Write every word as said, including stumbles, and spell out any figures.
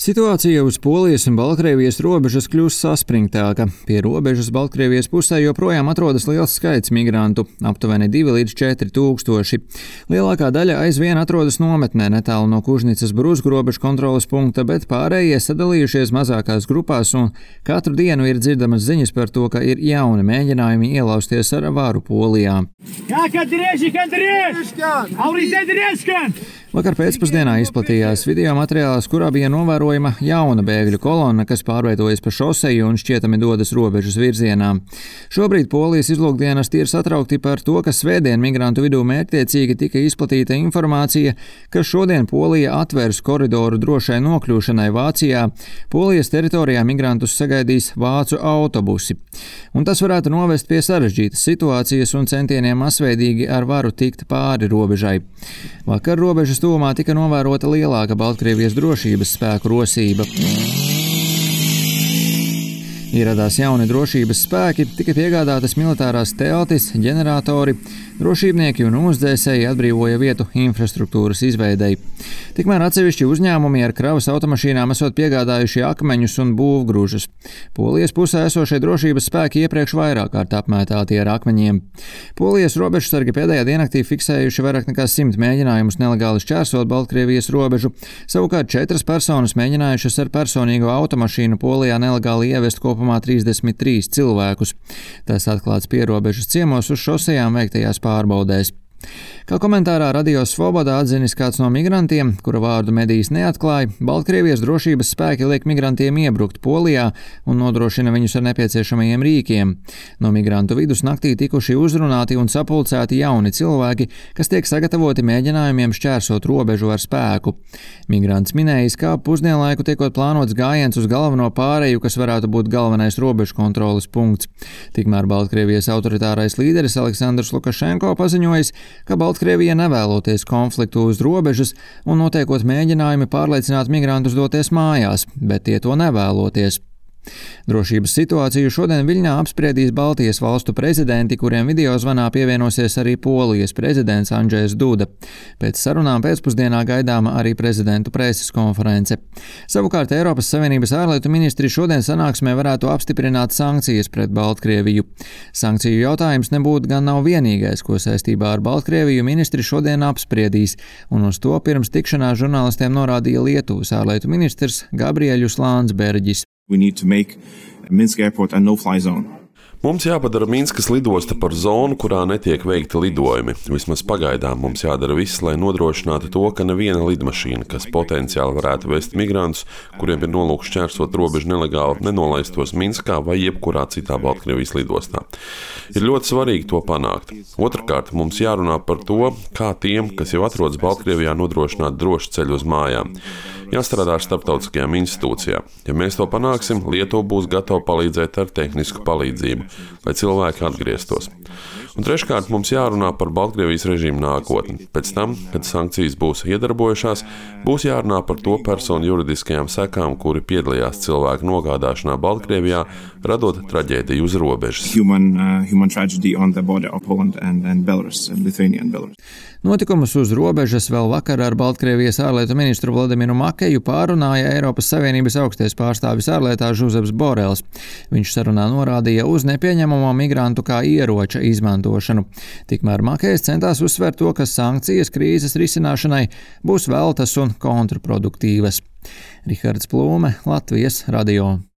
Situācija uz Polijas un Baltkrievijas robežas kļūst saspringtāka. Pie robežas Baltkrievijas pusē joprojām atrodas liels skaits migrantu – aptuveni divi līdz četri tūkstoši. Lielākā daļa aizvien atrodas nometnē netālu no Kužnicas Bruzgu robežu kontroles punkta, bet pārējie sadalījušies mazākās grupās un katru dienu ir dzirdamas ziņas par to, ka ir jauni mēģinājumi ielausties ar varu Polijā. Vakar pēcpusdienā izplatījās video materiāls, kurā bija novērojama jauna bēgļu kolonna, kas pārvietojas pa šoseju un šķietami dodas robežas virzienā. Šobrīd Polijas izlūkdienesti ir satraukti par to, ka svētdien migrantu vidū mērķtiecīgi tika izplatīta informācija, ka šodien Polija atvērs koridoru drošai nokļūšanai Vācijā. Polijas teritorijā migrantus sagaidīs vācu autobusi. Un tas varētu novest pie sarežģītas situācijas un centieniem masveidīgi ar varu tikt pāri robežai. Vakar robežas tuvumā tika novērota lielāka Baltkrievijas drošības spēku rosība. Ieradās jauni drošības spēki, tika piegādātas militārās teltis, ģeneratori, drošībnieki un uzdzēsēji atbrīvoja vietu infrastruktūras izveidei. Tikmēr atsevišķi uzņēmumi ar kravas automašīnām esot piegādājuši akmeņus un būvgrūžus. Polijas pusē esošie drošības spēki iepriekš vairāk kārt apmētāti ar akmeņiem. Polijas robežsargi pēdējā diennaktī fiksējuši vairāk nekā simt mēģinājumus nelegāli šķērsot Baltkrievijas robežu, savukārt četras personas mēģinājušas ar personīgo automašīnu Polijā nelegāli ievest kopumā trīsdesmit trīs cilvēkus. Tas atklāts pierobežas ciemos uz šosejām veiktajās pārbaudēs. Kā komentārā Radio Svoboda atzinis kāds no migrantiem, kura vārdu medijas neatklāja, Baltkrievijas drošības spēki liek migrantiem iebrukt Polijā un nodrošina viņus ar nepieciešamajiem rīkiem. No migrantu vidus naktī tikuši uzrunāti un sapulcēti jauni cilvēki, kas tiek sagatavoti mēģinājumiem šķērsot robežu ar spēku. Migrants minējis, ka pusdienlaiku tiekot plānots gājiens uz galveno pāreju, kas varētu būt galvenais robežu kontroles punkts. Tikmēr Baltkrievijas autoritārais līderis Aleksandrs Lukašenko paziņojis, ka Baltkrievija nevēloties konfliktu uz robežas un notiekot mēģinājumi pārliecināt migrantus doties mājās, bet tie to nevēloties. Drošības situāciju šodien Viļņā apspriedīs Baltijas valstu prezidenti, kuriem video zvanā pievienosies arī Polijas prezidents Andžejs Duda. Pēc sarunām pēcpusdienā gaidāma arī prezidentu preses konference. Savukārt Eiropas Savienības ārlietu ministri šodien sanāksmē varētu apstiprināt sankcijas pret Baltkrieviju. Sankciju jautājums nebūtu gan nav vienīgais, ko saistībā ar Baltkrieviju ministri šodien apspriedīs, un uz to pirms tikšanās žurnālistiem norādīja Lietuvas ārlietu ministrs Gabriēļus Landsberģis. We need to make Minsk airport a no-fly zone. Mums jāpadara Minskas lidosta par zonu, kurā netiek veikti lidojumi. Vismaz pagaidām mums jādara viss, lai nodrošinātu to, ka neviena lidmašīna, kas potenciāli varētu vest migrantus, kuriem ir nolūks šķērsot robežu nelegāli, nenolaistos Minskā vai jebkurā citā Baltkrievijas lidostā. Ir ļoti svarīgi to panākt. Otrakārt, mums jārunā par to, kā tiem, kas jau atrodas Baltkrievijā, nodrošināt drošu ceļu uz mājām. Jāstrādā ar starptautiskajām institūcijām. Ja mēs to panāksim, Lietuva būs gatava palīdzēt ar tehnisku palīdzību, lai cilvēki atgrieztos. Un treškārt, mums jārunā par Baltkrievijas režīmu nākotni. Pēc tam, kad sankcijas būs iedarbojušās, būs jārunā par to personu juridiskajām sekām, kuri piedalījās cilvēku nogādāšanā Baltkrievijā, radot traģēdiju uz robežas. Human, uh, human tragedy on the border of Poland and, and Belarus, and Lithuania and Belarus. Notikumus uz robežas vēl vakar ar Baltkrievijas ārlietu ministru Vladimiru Makeju pārunāja Eiropas Savienības augstais pārstāvis ārlietās Žuzeps Borels. Viņš sarunā norādīja uz nepieņemamo migrantu kā ieroča izmantošanu. Tikmēr Makejs centās uzsvērt to, ka sankcijas krīzes risināšanai būs veltas un kontraproduktīvas. Rihards Plūme, Latvijas radio.